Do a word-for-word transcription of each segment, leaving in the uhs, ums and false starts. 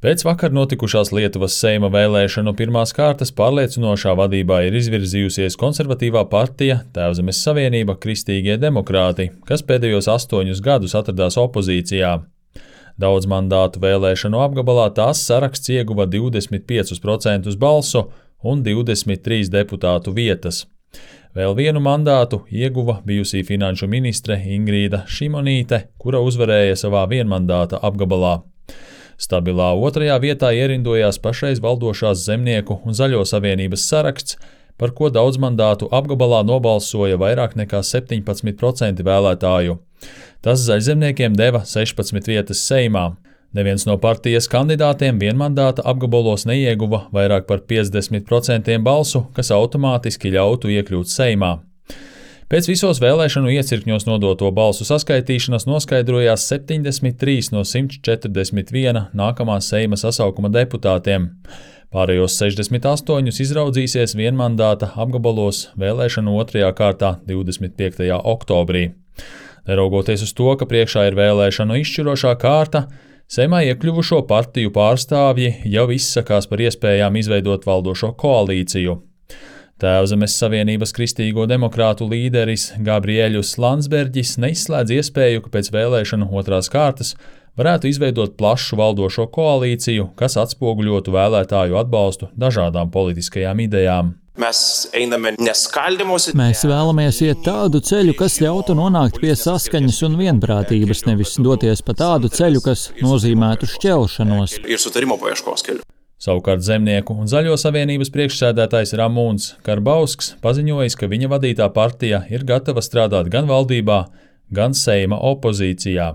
Pēc vakar notikušās Lietuvas Seima vēlēšanu pirmās kārtas pārliecinošā vadībā ir izvirzījusies konservatīvā partija Tēvzemes Savienība Kristīgie demokrāti, kas pēdējos astoņus gadus atradās opozīcijā. Daudz mandātu vēlēšanu apgabalā tās saraksts ieguva divdesmit piecus procentus balsu un divdesmit trīs deputātu vietas. Vēl vienu mandātu ieguva bijusī finanšu ministre Ingrīda Šimonīte, kura uzvarēja savā vienmandāta apgabalā. Stabilā otrajā vietā ierindojās pašreiz valdošās Zemnieku un Zaļo savienības saraksts, par ko daudz mandātu apgabalā nobalsoja vairāk nekā septiņpadsmit procenti vēlētāju. Tas zaļzemniekiem deva sešpadsmit vietas Seimā. Neviens no partijas kandidātiem vienmandāta apgabalos neieguva vairāk par piecdesmit procentiem balsu, kas automātiski ļautu iekļūt Seimā. Pēc visos vēlēšanu iecirkņos nodoto balsu saskaitīšanas noskaidrojās septiņdesmit trīs no simts četrdesmit viena nākamā Seima sasaukuma deputātiem. Pārējos sešdesmit astoņus izraudzīsies vienmandāta apgabalos vēlēšanu otrajā kārtā divdesmit piektajā oktobrī. Neraugoties uz to, ka priekšā ir vēlēšanu izšķirošā kārta, Seimā iekļuvušo partiju pārstāvji jau izsakās par iespējām izveidot valdošo koalīciju. Tēvzemes Savienības Kristīgo demokrātu līderis Gabriēļus Landsberģis neizslēdz iespēju, ka pēc vēlēšanu otrās kārtas varētu izveidot plašu valdošo koalīciju, kas atspoguļotu vēlētāju atbalstu dažādām politiskajām idejām. Mēs einame neskaldymus. Mēs vēlamies iet tādu ceļu, kas ļautu nonākt pie saskaņas un vienprātības, nevis doties pa tādu ceļu, kas nozīmētu šķelšanos. Ir sutarimo paieškos keliu. Savukārt Zemnieku un Zaļo savienības priekšsēdētājs Ramūns Karbausks paziņojis, ka viņa vadītā partija ir gatava strādāt gan valdībā, gan Seima opozīcijā.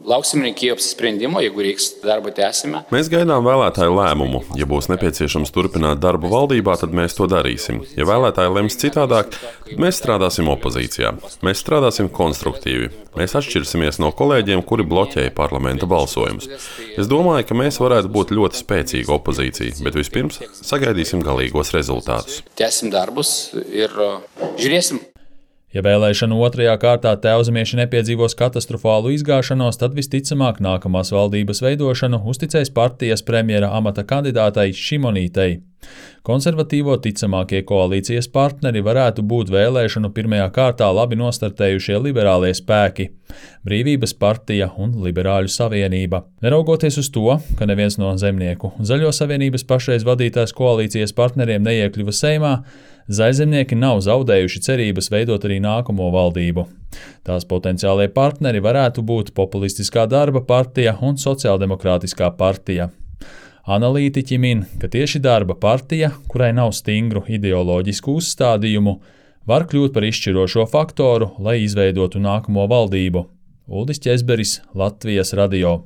Lauksim Kijevas sprendimo, ja reiks darbu tęsime. Mēs gaidām vēlētāju lēmumu. Ja būs nepieciešams turpināt darbu valdībā, tad mēs to darīsim. Ja vēlētāji lems citādāk, tad mēs strādāsim opozīcijā. Mēs strādāsim konstruktīvi. Mēs atšķirsimies no kolēģiem, kuri bloķēja parlamenta balsojumus. Es domāju, ka mēs varētu būt ļoti spēcīga opozīcija, bet vispirms sagaidīsim galīgos rezultātus. Tęsim darbus ir žiūrēsim. Ja vēlēšanu otrajā kārtā tēvzemieši nepiedzīvos katastrofālu izgāšanos, tad visticamāk nākamās valdības veidošanu uzticēs partijas premjera amata kandidātai Šimonītei. Konservatīvo ticamākie koalīcijas partneri varētu būt vēlēšanu pirmajā kārtā labi nostartējušie liberālie spēki – Brīvības partija un Liberāļu savienība. Neraugoties uz to, ka neviens no Zemnieku un Zaļo savienības pašreiz vadītās koalīcijas partneriem neiekļuva Seimā, zaļzemnieki nav zaudējuši cerības veidot arī nākamo valdību. Tās potenciālie partneri varētu būt Populistiskā darba partija un Sociāldemokrātiskā partija. Analītiķi min, ka tieši darba partija, kurai nav stingru ideoloģisku uzstādījumu, var kļūt par izšķirošo faktoru, lai izveidotu nākamo valdību. Uldis Ķezberis, Latvijas radio.